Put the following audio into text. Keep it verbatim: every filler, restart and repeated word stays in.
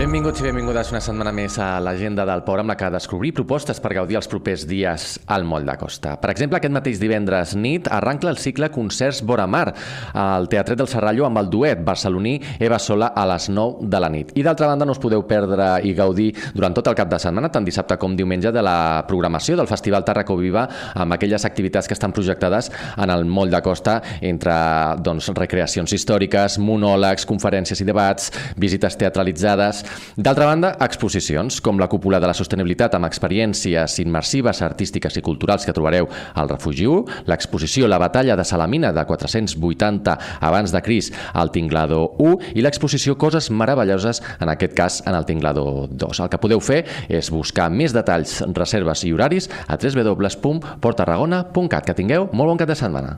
Benvinguts i benvingudes una setmana més a l'agenda del Poble, amb la que descobrir propostes per gaudir els propers dies al Moll de Costa. Per exemple, aquest mateix divendres nit arranca el cicle Concerts Vora Mar al Teatret del Serrallo amb el duet barceloní Eva Sola a les nou de la nit. I d'altra banda no us podeu perdre i gaudir durant tot el cap de setmana, tant dissabte com diumenge, de la programació del Festival Tàrraco Viva amb aquelles activitats que estan projectades en el Moll de Costa entre doncs, recreacions històriques, monòlegs, conferències i debats, visites teatralitzades. D'altra banda, exposicions, com la Cúpula de la Sostenibilitat amb experiències immersives, artístiques i culturals que trobareu al Refugi u, l'exposició La Batalla de Salamina de quatre-cents vuitanta abans de Crist al Tinglado u i l'exposició Coses meravelloses, en aquest cas en el Tinglado dos. El que podeu fer és buscar més detalls, reserves i horaris a w w w punt port tarragona punt cat. Que tingueu molt bon cap de setmana.